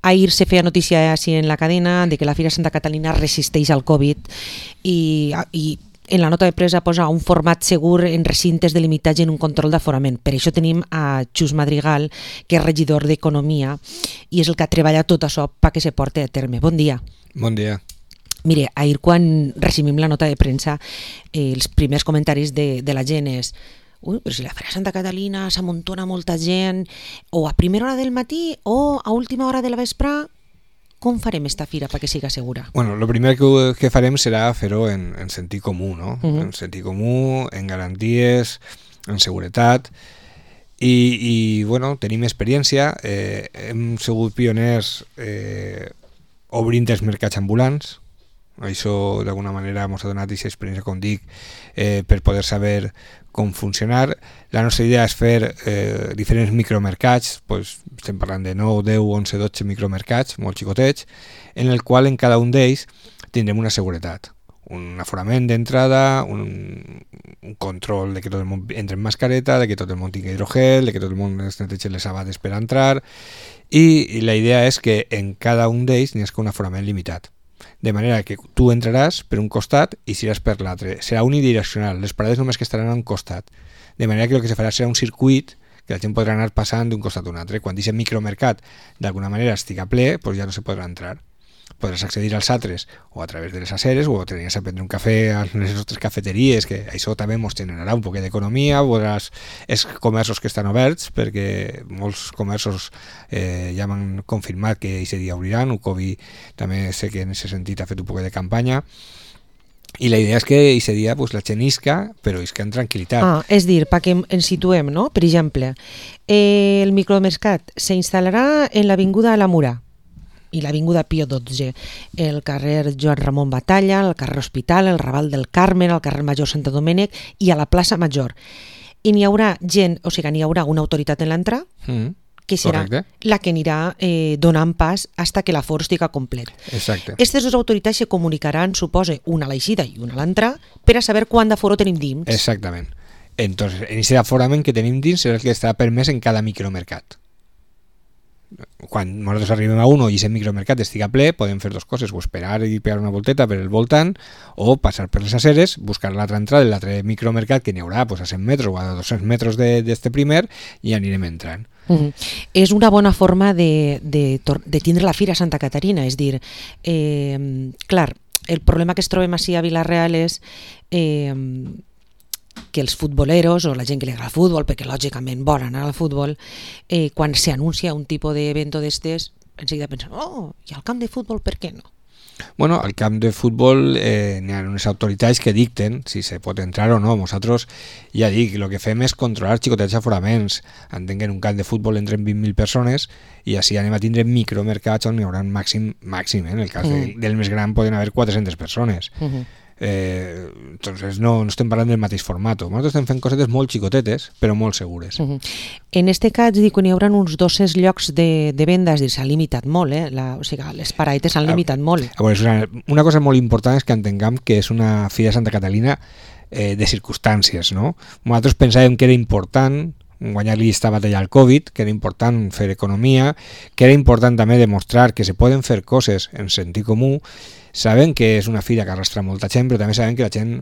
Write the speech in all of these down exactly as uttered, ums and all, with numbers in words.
Ahir se feia notícia així en la cadena de que la Fira Santa Catalina resisteix al Covid i, i en la nota de premsa posa un format segur en recintes delimitats i en un control d'aforament. Per això tenim a Xus Madrigal, que és regidor d'Economia i és el que ha treballat tot això perquè se porti a terme. Bon dia. Bon dia. Mire, ahir quan recibim la nota de premsa, eh, els primers comentaris de, de la gent és ui, però si la Fira Santa Catalina s'amuntona molta gent, o a primera hora del matí o a última hora de la vespre, com farem esta fira perquè siga segura? Bueno, lo primer que, que farem serà fer-ho en, en sentit comú, no? Uh-huh. En sentit comú, en garanties, en seguretat, i, i bueno, tenim experiència, eh, hem sigut pioners eh, obrint els mercats ambulants, això d'alguna manera ens ha donat aquesta experiència, com dic, eh, per poder saber com funcionar. La nostra idea és fer eh, diferents micromercats, pues, estem parlant de nou, deu, onze, dotze micromercats, molt xicotets, en el qual en cada un d'ells tindrem una seguretat, un aforament d'entrada, un, un control de que tot el món entre en mascareta, de que tot el món tingui hidrogel, de que tot el món es netegi les sabades per entrar, i, i la idea és que en cada un d'ells n'hi ha un aforament limitat. De manera que tu entraràs per un costat i seràs per l'altre. Serà unidireccional, les parades només que estaran a un costat. De manera que el que se farà serà un circuit que la gent podrà anar passant d'un costat a un altre. Quan aquest micromercat d'alguna manera estiga ple, doncs ja no se podrà entrar. Podràs accedir als altres o a través de les aceres o tenies a prendre un cafè a les nostres cafeteries, que això també ens generarà un poc d'economia. Podràs, els comerços que estan oberts, perquè molts comerços eh, ja m'han confirmat que aquest dia obriran. Ucovi també sé que en aquest sentit ha fet un poc de campanya. I la idea és que aquest dia pues, la gent isca, però isca en tranquil·litat. Ah, és dir, perquè ens situem, no? Per exemple, eh, el micromercat s'instal·larà en l'avinguda La Mura i l'avinguda Pío dotze, el carrer Joan Ramon Batalla, el carrer Hospital, el Raval del Carmen, el carrer Major Sant Domènec i a la plaça Major. I n'hi haurà gent, o sigui, n'hi haurà una autoritat en l'entrada, mm, que serà correcte, la que anirà eh, donant pas fins que l'aforo estigui complet. Exacte. Aquestes dues autoritats se comunicaran, suposa, una a l'eixida i una a l'entrada, per a saber quant d'aforo tenim dins. Exactament. Entonces, en aquest aforament que tenim dins serà el que estarà permès en cada micromercat. Quan nosaltres arribem a un i aquest micromercat estiga ple, podem fer dues coses, o esperar i pegar una volteta per el voltant, o passar per les aceres, buscar l'altra entrada de l'altre micromercat, que n'hi haurà pues, a cent metres o a dos-cents metres d'aquest primer, i anirem entrant. Uh-huh. És una bona forma de, de, de tindre la Fira Santa Caterina, és dir, eh, clar, el problema que es trobem així a Vila-real és eh, que els futboleros o la gent que li agrada el futbol, perquè lògicament volen anar al futbol, eh, quan s'anuncia un tipus d'evento d'estes, enseguida pensen, oh, i al camp de futbol per què no? Bueno, al camp de futbol eh, n'hi ha unes autoritats que dicten si se pot entrar o no. Nosaltres, ja dic, el que fem és controlar xicotets aforaments. Entenc que en un camp de futbol entren vint mil persones i així anem a tindre micromercats on n'hi haurà màxim, màxim eh? En el cas mm. de, del més gran poden haver quatre-centes persones. Mm-hmm. Eh, entonces no, no estem parlant del mateix format. Nosaltres estem fent cosetes molt xicotetes però molt segures. Uh-huh. En este cas dic que n'hi haurà uns dos-cents llocs de, de venda, és dir, s'ha limitat molt, eh? La, o sigui, les paradetes s'han limitat molt. A veure, una, una cosa molt important és que entenguem que és una Fira Santa Catalina eh, de circumstàncies, no? Nosaltres pensàvem que era important guanyar-li aquesta batalla al Covid, que era important fer economia, que era important també demostrar que se poden fer coses en sentit comú. Sabem que és una fira que arrastra molta gent, però també sabem que la gent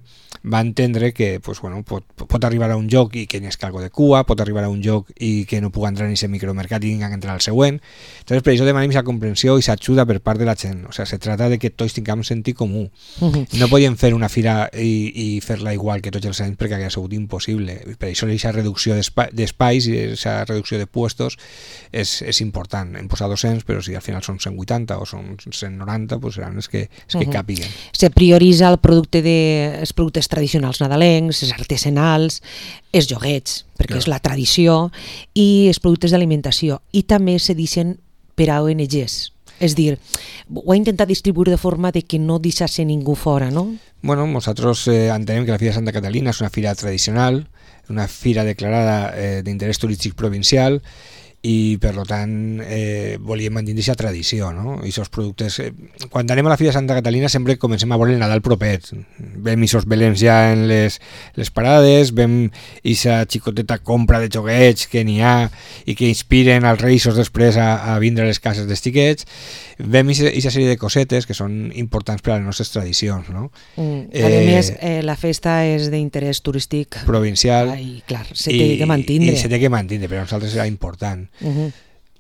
va entendre que pues, bueno, pot, pot arribar a un lloc i que n'hi ha algo de cua, pot arribar a un lloc i que no pugui entrar en aquest micromercat i tinguin que entrar al següent. Entonces, per això demanem aquesta comprensió i s'ajuda per part de la gent. O sigui, se trata de que tots tinguem sentit comú. Uh-huh. No podíem fer una fira i, i fer-la igual que tots els anys perquè hauria sigut impossible. Per això aquesta reducció d'espais i aquesta reducció de puestos és, és important. Hem posat dos-cents, però si al final són cent vuitanta o són cent noranta, pues seran els que és que uh-huh. capiguen. Se prioritza el producte de, els productes tradicionals nadalencs, els artesanals, els joguets, perquè claro. És la tradició, i els productes d'alimentació. I també se deixen per a O N Ges. És dir, ho ha intentat distribuir de forma de que no deixasse ningú fora, no? Bueno, nosaltres eh, entenem que la Fira Santa Catalina és una fira tradicional, una fira declarada eh, d'interès turístic provincial, i per tant eh, volíem mantenir aquesta tradició, no? I aquests productes, eh, quan anem a la Fira de Santa Catalina sempre comencem a veure el Nadal propet, vem aquests belems ja en les, les parades, vem aquesta xicoteta compra de joguets que n'hi ha i que inspiren als reis després a, a vindre a les cases dels xiquets, vem aquesta sèrie de cosetes que són importants per a les nostres tradicions, no? Mm. A eh, més, eh, la festa és d'interès turístic provincial. I clar, se té que mantindre. I se té que mantindre, però a nosaltres era important. Uh-huh.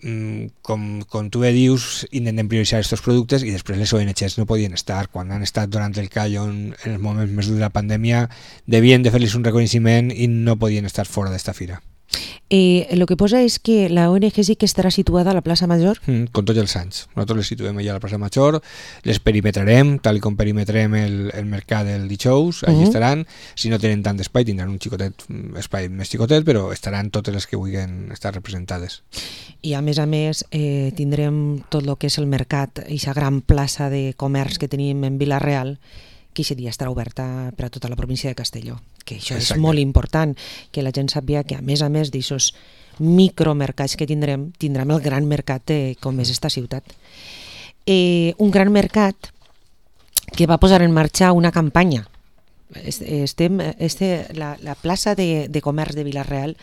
mm, com, com tu bé dius, intentem prioritzar aquests productes i després les O N Gs no podien estar. Quan han estat durant el callo en, en els moments més durs de la pandèmia, devien de fer-los un reconeixement i no podien estar fora d'esta fira. Eh, lo que posa és que la O N G sí que estarà situada a la plaça Major? Mm, com tots els anys. Nosaltres les situem allà a la plaça Major, les perimetrarem, tal com perimetrem el, el mercat del dijous, allí uh-huh. estaran. Si no tenen tant d'espai, tindran un xicotet, espai més xicotet, però estaran totes les que vulguin estar representades. I a més a més eh, tindrem tot el que és el mercat, aquesta gran plaça de comerç que tenim en Vila-real, que aquest dia estarà oberta per a tota la província de Castelló, que això Exacte. És molt important, que la gent sàpiga que a més a més d'aixòs micromercats que tindrem, tindrem el gran mercat de, com és esta ciutat. Eh, un gran mercat que va posar en marxa una campanya. Estem, este, la, la plaça de, de comerç de Vila-real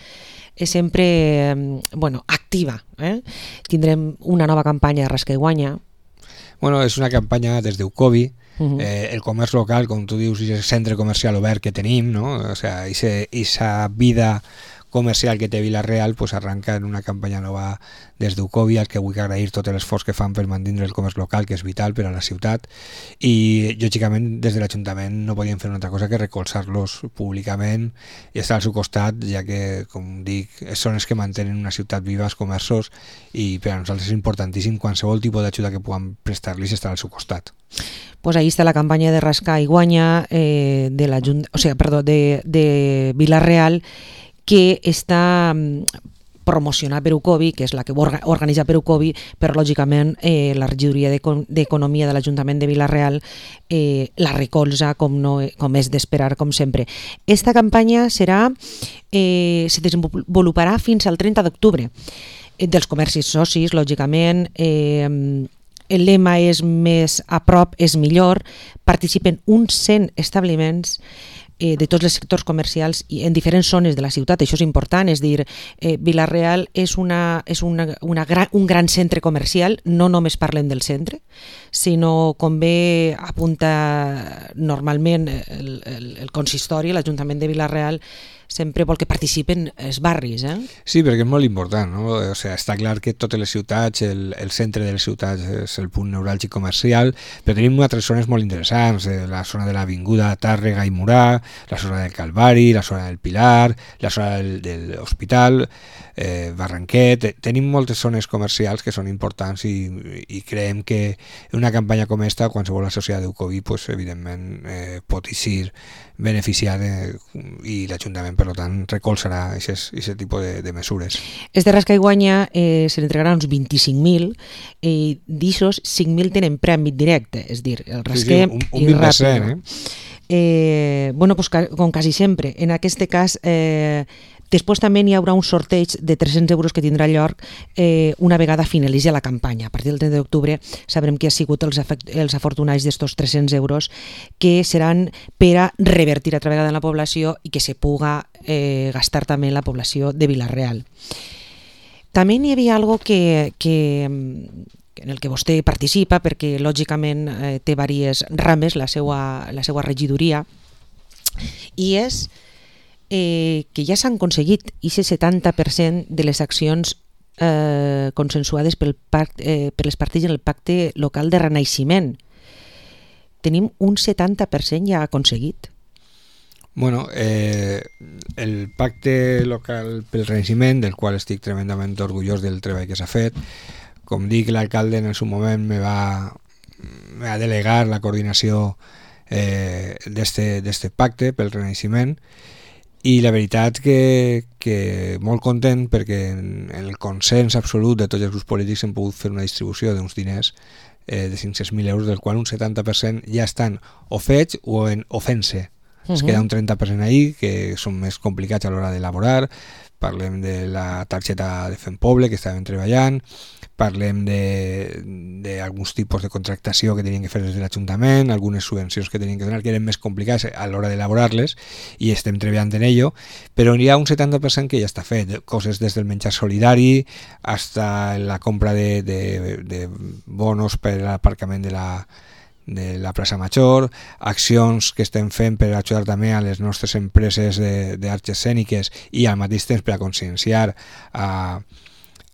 és sempre bueno, activa. Eh? Tindrem una nova campanya de Rasca i Guanya. Bueno, és una campanya des d'Eucovi. Uh-huh. Eh, el comerç local, com tu dius, és el centre comercial obert que tenim, no? O sea, esa vida comercial que té Vila-real pues arranca en una campanya nova des d'Eucovi, al que vull agrair tot l'esforç que fan per mantenir el comerç local, que és vital per a la ciutat, i lògicament des de l'Ajuntament no podien fer una altra cosa que recolzar-los públicament i estar al seu costat, ja que, com dic, són els que mantenen una ciutat viva, els comerços, i per a nosaltres és importantíssim qualsevol tipus d'ajuda que puguem prestar-los estar al seu costat. Pues ahí está la campaña de Rasca y Guanya eh, de la o sea, perdón, de, de Vila-real, que està promocionada per Eucovi, que és la que organitza per Eucovi, però lògicament eh, la regidoria d'Economia de l'Ajuntament de Vila-real eh, la recolza com, no, com és d'esperar, com sempre. Esta campanya serà, eh, se desenvoluparà fins al trenta d'octubre. Eh, dels comercis socis, lògicament, eh, el lema és més a prop, és millor, participen uns cent establiments eh, de tots els sectors comercials i en diferents zones de la ciutat, això és important, és dir, eh, Vila-real és, una, és una, una gran, un gran centre comercial, no només parlem del centre, sinó com bé apunta normalment el, el, el consistori, l'Ajuntament de Vila-real, sempre vol que participen els barris. Eh? Sí, perquè és molt important, no? O sea, està clar que totes les ciutats, el, el centre de les ciutats és el punt neuràlgic comercial, però tenim altres zones molt interessants, eh, la zona de l'Avinguda Tàrrega i Murà, la zona del Calvari, la zona del Pilar, la zona del, de l'Hospital, eh, Barranquet. Tenim moltes zones comercials que són importants i, i creiem que una campanya com esta, qualsevol associada d'Eucovi, pues, evidentment eh, pot eixir beneficiar eh, i l'Ajuntament, per tant, recolzarà aquest tipus de, de mesures. Este Rasca i Guanya eh, se n'entregarà uns vint-i-cinc mil i d'aixòs cinc mil tenen premi directe, és dir, el rasquem sí, sí, un, un i ràpid. Eh? Eh, bueno, pues, com quasi sempre. En aquest cas, eh, després també hi haurà un sorteig de tres-cents euros que tindrà lloc eh, una vegada finalitzi la campanya. A partir del trenta d'octubre sabrem qui ha sigut els, els afortunats d'estos tres-cents euros que seran per a revertir a través de la població i que se puga eh, gastar també en la població de Vila-real. També hi havia algo que, que, en el que vostè participa, perquè lògicament eh, té diverses rames la seva, la seva regidoria, i és Eh, que ja s'han aconseguit aquest setanta per cent de les accions eh, consensuades pel pacte, eh, per les parts en el pacte local de renaixement. Tenim un setanta per cent ja aconseguit. Bueno, eh, el pacte local pel renaixement, del qual estic tremendament orgullós del treball que s'ha fet, com dic, l'alcalde en el seu moment me va, me va delegar la coordinació eh, d'este pacte pel renaixement, i la veritat que, que molt content perquè en el consens absolut de tots els grups polítics hem pogut fer una distribució d'uns diners eh, de cinc-cents mil euros, del qual un setanta per cent ja estan o fets o, en, o fent-se. Uh-huh. Es queda un trenta per cent ahí, que són més complicats a l'hora d'elaborar. Parlem de la targeta de Fempoble, que estàvem treballant, parlem d'alguns tipus de contractació que tenien que fer des de l'Ajuntament, algunes subvencions que tenien que donar, que eren més complicades a l'hora d'elaborar-les, i estem treballant en ello, però hi ha un setanta per cent que ja està fet, coses des del menjar solidari hasta la compra de, de, de bonos per a l'aparcament de la de la plaça Major, accions que estem fent per ajudar també a les nostres empreses d'arts escèniques i al mateix temps per a conscienciar a,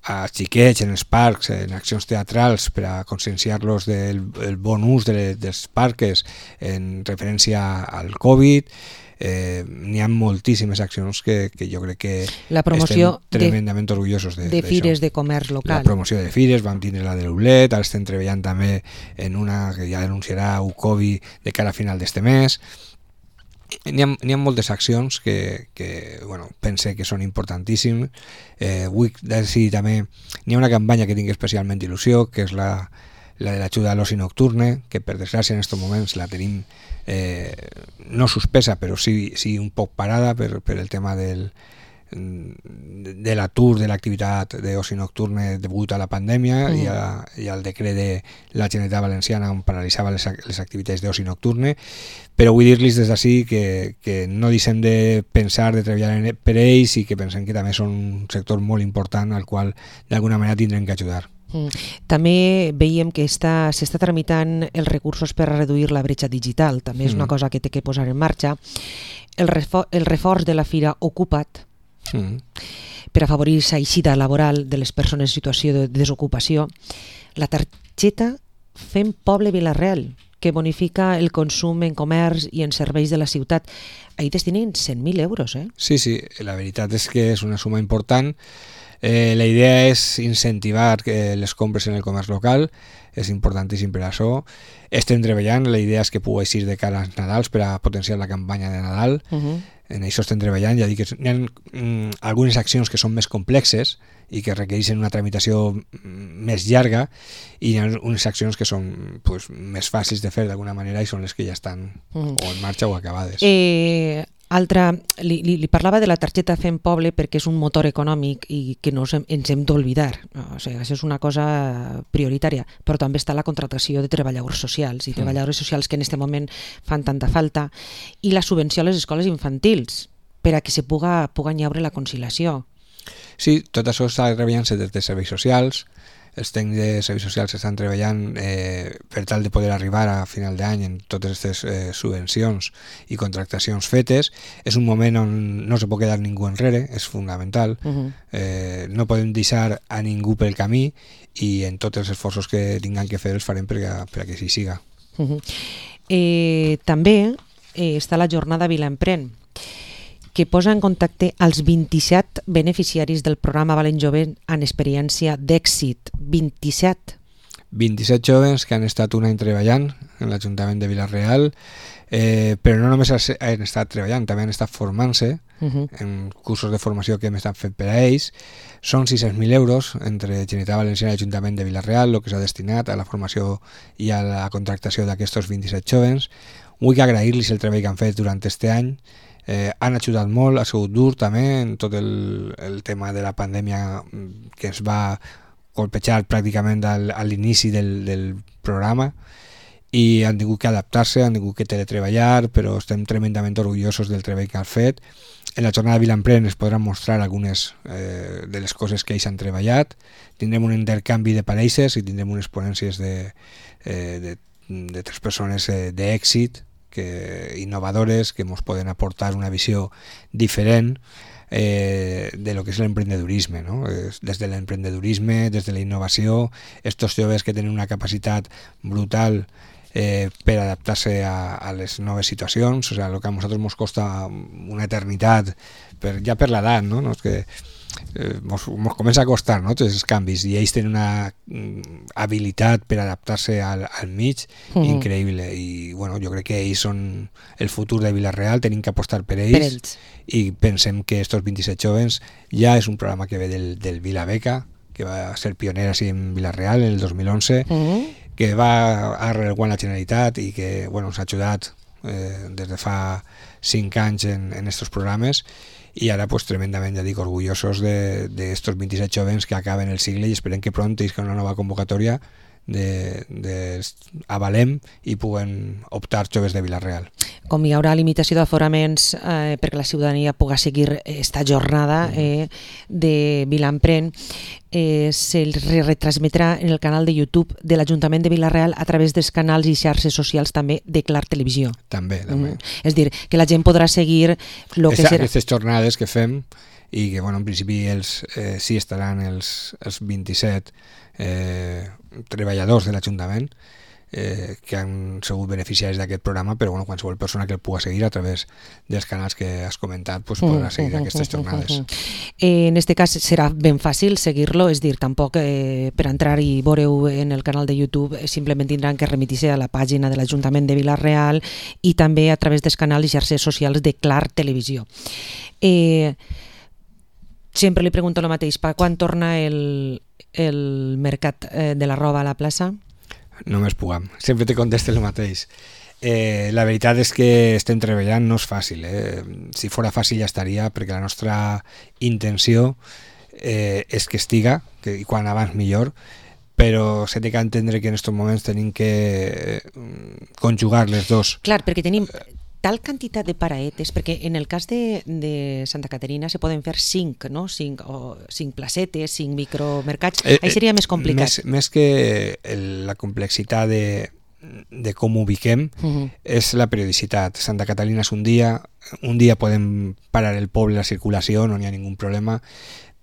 a xiquets en els parcs, en accions teatrals, per a conscienciar-los del el bon ús de, dels parques en referència al Covid. Eh, n'hi ha moltíssimes accions que, que jo crec que la promoció estem tremendament de, orgullosos de, de fires de comerç local. La promoció de fires, vam tindre la de l'Ublet, ara estem treballant també en una que ja anunciarà Ucovi de cara a final d'este mes. N'hi ha, n'hi ha moltes accions que, que bueno, pense que són importantíssimes. Eh, vull decidir també, n'hi ha una campanya que tinc especialment il·lusió, que és la, la de l'ajuda a l'oci nocturne, que per desgràcia en aquests moments la tenim Eh, no suspesa, però sí, sí un poc parada per, per el tema del, de l'atur de l'activitat d'oci nocturne degut a la pandèmia mm. i, a, i al decret de la Generalitat Valenciana on paralitzava les, les activitats d'oci nocturne, però vull dir-los des d'ací que, que no deixem de pensar, de treballar en, per ells, i que pensem que també són un sector molt important al qual d'alguna manera tindrem que ajudar. També veiem que està, s'està tramitant els recursos per a reduir la bretxa digital, també és una cosa que té que posar en marxa. El, refor, el reforç de la Fira Ocupa't mm. per afavorir la eixida laboral de les persones en situació de desocupació. La targeta Fem Poble Vila-real, que bonifica el consum en comerç i en serveis de la ciutat. Ahí destinen cent mil euros, eh? Sí, sí, la veritat és que és una suma important. Eh, la idea és incentivar que les compres en el comerç local, és importantíssim per això. Estem treballant, la idea és que pugui eixir de cara als Nadals per a potenciar la campanya de Nadal. Uh-huh. En això estem treballant, ja dic que hi ha mm, algunes accions que són més complexes i que requereixen una tramitació més llarga, i hi ha unes accions que són pues, més fàcils de fer d'alguna manera i són les que ja estan uh-huh. o en marxa o acabades. Eh... Altra, li, li, li parlava de la targeta Fem Poble perquè és un motor econòmic i que no ens hem d'oblidar. O sigui, això és una cosa prioritària, però també està la contractació de treballadors socials i treballadores socials que en aquest moment fan tanta falta, i la subvenció a les escoles infantils per a que se puga, puga haure la conciliació. Sí, tot això està treballant-se des de serveis socials. Els tècnics de serveis socials estan treballant eh, per tal de poder arribar a final d'any en totes aquestes eh, subvencions i contractacions fetes. És un moment on no se pot quedar ningú enrere, és fundamental. Uh-huh. eh, no podem deixar a ningú pel camí, i en tots els esforços que tinguem que fer els farem perquè, perquè així siga. Uh-huh. eh, també eh, està la jornada Vilaemprèn, que posa en contacte als vint-i-set beneficiaris del programa Valent Jove en experiència d'èxit. vint-i-set. vint-i-set joves que han estat un any treballant en l'Ajuntament de Vila-real, eh, però no només han estat treballant, també han estat formant-se uh-huh. en cursos de formació que hem estat fent per a ells. Són sis-cents mil euros entre Generalitat Valenciana i l'Ajuntament de Vila-real, el que s'ha destinat a la formació i a la contractació d'aquests vint-i-set joves. Vull agrair-los el treball que han fet durant aquest any. Eh, han ajudat molt, ha sigut dur també en tot el, el tema de la pandèmia que ens va colpejar pràcticament al, a l'inici del, del programa, i han tingut que adaptar-se, han tingut que teletreballar, però estem tremendament orgullosos del treball que han fet. En la jornada de Vilaemprèn es podran mostrar algunes eh, de les coses que ells han treballat. Tindrem un intercanvi de pareixes i tindrem unes ponències de, eh, de, de tres persones eh, d'èxit, que, innovadores, que ens poden aportar una visió diferent eh, de lo que és l'emprendedurisme, ¿no? Des de l'emprendedurisme, des de la innovació, estos joves que tenen una capacitat brutal eh, per adaptar-se a, a les noves situacions. O sea, lo que a nosaltres ens costa una eternitat, per, ja per l'edat, no? No és que eh, mos, mos comença a costar, no? Tots els canvis, i ells tenen una mm, habilitat per adaptar-se al, al mig mm. increïble, i bueno, jo crec que ells són el futur de Vila-real, tenim que apostar per ells, per ells. I pensem que estos vint-i-set jóvens ja és un programa que ve del, del Vila Beca, que va ser pioner així en Vila-real en el dos mil onze, mm. que va arrelgar la Generalitat i que bueno, ens ha ajudat eh, des de fa cinc anys en, en estos programes, i ara pues tremendament, ja dic, orgullosos de, de estos vint-i-set jóvens que acaben el sigle i esperem que pront isca una nova convocatòria de, de avalem i puguen optar joves de Vila-real. Com hi haurà limitació d'aforaments eh, perquè la ciutadania pugui seguir esta jornada eh, de Vilampren, eh, se retransmetrà en el canal de YouTube de l'Ajuntament de Vila-real a través dels canals i xarxes socials també de Clar Televisió. També, també. Mm. És dir, que la gent podrà seguir lo que serà. Aquestes jornades que fem i que, bueno, en principi ells eh, sí estaran els, els vint-i-set eh, treballadors de l'Ajuntament eh, que han sigut beneficiaris d'aquest programa, però bueno, qualsevol persona que el pugui seguir a través dels canals que has comentat pues, podrà seguir mm, aquestes jornades. Mm, eh, en este cas serà ben fàcil seguir-lo, és dir, tampoc eh, per entrar i veure-ho en el canal de YouTube eh, simplement tindran que remitir-se a la pàgina de l'Ajuntament de Vila-real i també a través dels canals i xarxes socials de Clar Televisió. Eh, sempre li pregunto el mateix, per quan torna el, el mercat eh, de la roba a la plaça? Només puguem, sempre te contesto el mateix. Eh, la veritat és que estem treballant, no és fàcil. Eh? Si fora fàcil ja estaria, perquè la nostra intenció eh, és que estiga, que, i quan abans millor, però s'ha de entendre que en aquests moments tenim que conjugar les dos. Clar, perquè tenim tal quantitat de paraetes, perquè en el cas de, de Santa Caterina se poden fer cinc, no? cinc, o cinc placetes, cinc micromercats, eh, ahí seria més complicat. Més, més que el, la complexitat de, de com ho ubiquem, uh-huh. és la periodicitat. Santa Caterina és un dia, un dia podem parar el poble, la circulació, no n'hi ha ningú problema.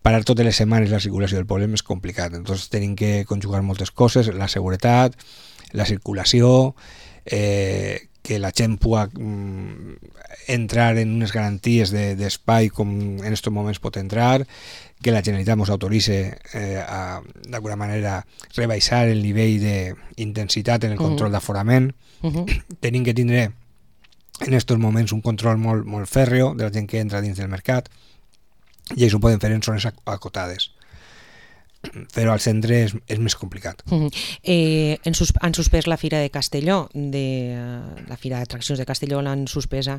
Parar totes les setmanes la circulació del poble és complicat, entonces tenim que conjugar moltes coses, la seguretat, la circulació, eh, que la gent pugui mm, entrar en unes garanties d'espai de, com en aquests moments pot entrar, que la Generalitat ens autoritzi eh, a d'alguna manera rebaixar el nivell d'intensitat en el control uh-huh. d'aforament. Uh-huh. Tenim que tindre en aquests moments un control molt, molt fèrreo de la gent que entra dins del mercat i això ho poden fer en zones acotades. Però al centre és, és més complicat. Mm-hmm. eh, han, sus, han suspès la Fira de Castelló, de, uh, la Fira d'Atraccions de Castelló l'han suspesa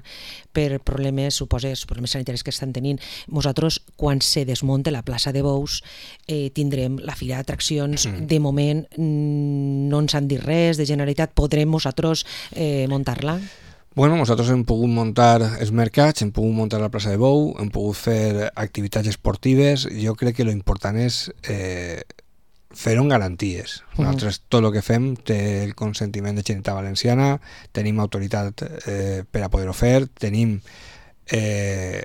per problemes, suposes, problemes sanitaris que estan tenint. Nosaltres, quan se desmonte la plaça de Bous, eh, tindrem la Fira d'Atraccions. Mm. De moment no ens han dit res, de Generalitat podrem nosaltres eh, muntar-la? Bueno, nosaltres hem pogut muntar els mercats, hem pogut muntar la plaça de Bou, hem pogut fer activitats esportives. Jo crec que l'important és eh, fer-ho amb garanties. Nosaltres uh-huh. tot el que fem té el consentiment de Generalitat Valenciana, tenim autoritat eh, per a poder-ho fer, tenim eh,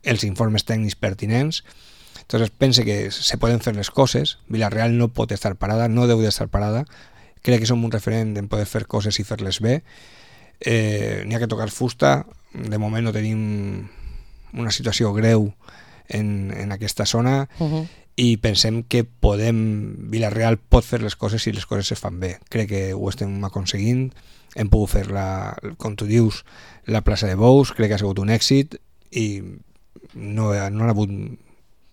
els informes tècnics pertinents. Entonces pense que se poden fer les coses. Vila-real no pot estar parada, no deu d'estar parada. Crec que som un referent en poder fer coses i fer-les bé. Eh, n'hi ha que tocar fusta. De moment no tenim una situació greu en, en aquesta zona uh-huh. i pensem que podem, Vila-real pot fer les coses si les coses se fan bé. Crec que ho estem aconseguint. Hem pogut fer, la, com tu dius, la plaça de Bous, crec que ha sigut un èxit i no, no ha hagut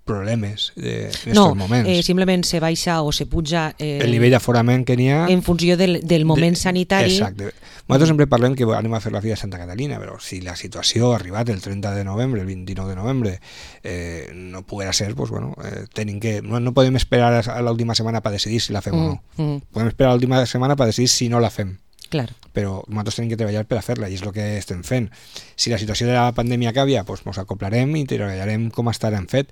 problemes en aquests no, moments. No, eh, simplement se baixa o se puja eh, el nivell d'aforament que n'hi ha en funció del, del moment de, sanitari. Exacte. Nosaltres sempre parlem que anem a fer la Fira de Santa Caterina, però si la situació ha arribat el trenta de novembre, el vint-i-nou de novembre, eh, no poguera ser, pues, bueno, eh, tenim que, no, no podem esperar a l'última setmana per decidir si la fem mm, o no. Mm. Podem esperar a l'última setmana per decidir si no la fem. Clar. Però nosaltres tenim que treballar per a fer-la i és el que estem fent. Si la situació de la pandèmia canvia, doncs ens acoplarem i treballarem com estarem fet,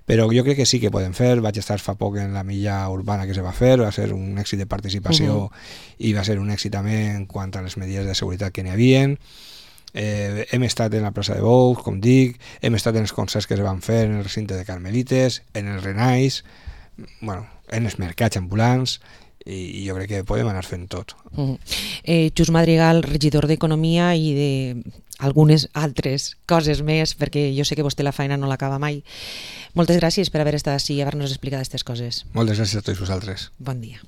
però jo crec que sí que podem fer. Vaig estar fa poc en la milla urbana que se va fer, va ser un èxit de participació uh-huh. i va ser un èxit també en quant a les medides de seguretat que n'hi havia. Eh, hem estat en la plaça de Bous, com dic, hem estat en els concerts que es van fer en el recinte de Carmelites, en el Renais, bueno, en els mercats ambulants, i jo crec que podem anar fent tot. Uh-huh. eh, Just Madrigal, regidor d'Economia i de algunes altres coses més, perquè jo sé que vostè la feina no l'acaba mai. Moltes gràcies per haver estat així i haver-nos explicat aquestes coses. Moltes gràcies a tots vosaltres. Bon dia.